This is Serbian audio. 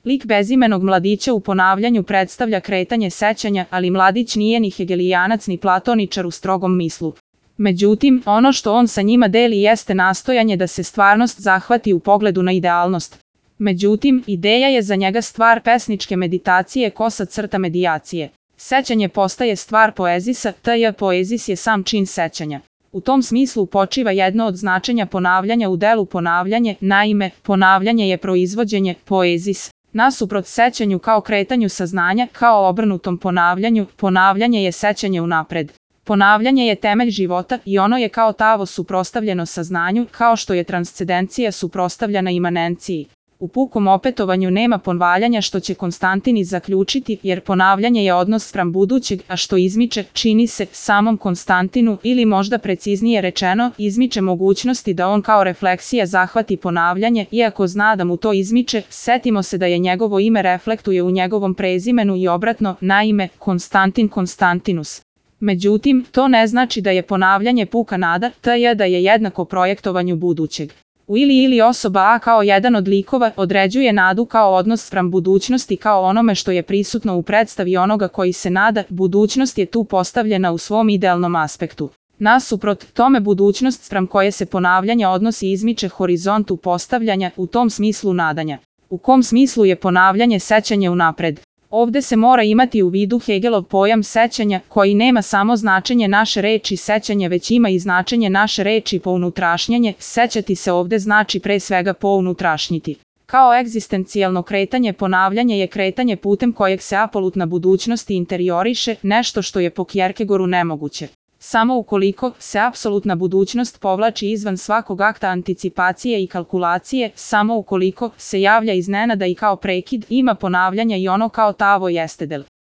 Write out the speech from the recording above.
Lik bezimenog mladića u ponavljanju predstavlja kretanje sećanja, ali mladić nije ni hegelijanac ni platoničar u strogom mislu. Međutim, ono što on sa njima deli jeste nastojanje da se stvarnost zahvati u pogledu na idealnost. Međutim, ideja je za njega stvar pesničke meditacije kosa crta medijacije. Sećanje postaje stvar poezisa, poezis je sam čin sećanja. U tom smislu počiva jedno od značenja ponavljanja u delu ponavljanje, naime, ponavljanje je proizvođenje, poezis. Nasuprot sećanju kao kretanju saznanja, kao obrnutom ponavljanju, ponavljanje je sećanje unapred. Ponavljanje je temelj života i ono je kao tavo suprotstavljeno saznanju, kao što je transcendencija suprotstavljena imanenciji. U pukom opetovanju nema ponavljanja što će Konstantin zaključiti, jer ponavljanje je odnos spram budućeg, a što izmiče, čini se, samom Konstantinu ili možda preciznije rečeno, izmiče mogućnosti da on kao refleksija zahvati ponavljanje, iako zna da mu to izmiče, setimo se da je njegovo ime reflektuje u njegovom prezimenu i obratno, naime, Konstantin Konstantinus. Međutim, to ne znači da je ponavljanje puka nada, da je jednako projektovanju budućeg. U ili osoba A kao jedan od likova određuje nadu kao odnos spram budućnosti kao onome što je prisutno u predstavi onoga koji se nada, budućnost je tu postavljena u svom idealnom aspektu. Nasuprot tome budućnost spram koje se ponavljanje odnosi izmiče horizontu postavljanja, u tom smislu nadanja. U kom smislu je ponavljanje sećanje unapred? Ovde se mora imati u vidu Hegelov pojam sećanja, koji nema samo značenje naše reči sećanje, već ima i značenje naše reči pounutrašnjanje. Sećati se ovde znači pre svega pounutrašnjiti. Kao egzistencijalno kretanje, ponavljanje je kretanje putem kojeg se apolutna budućnost interioriše, nešto što je po Kierkegaardu nemoguće. Samo ukoliko se apsolutna budućnost povlači izvan svakog akta anticipacije i kalkulacije, samo ukoliko se javlja iznenada i kao prekid, ima ponavljanja i ono kao tavo jeste del.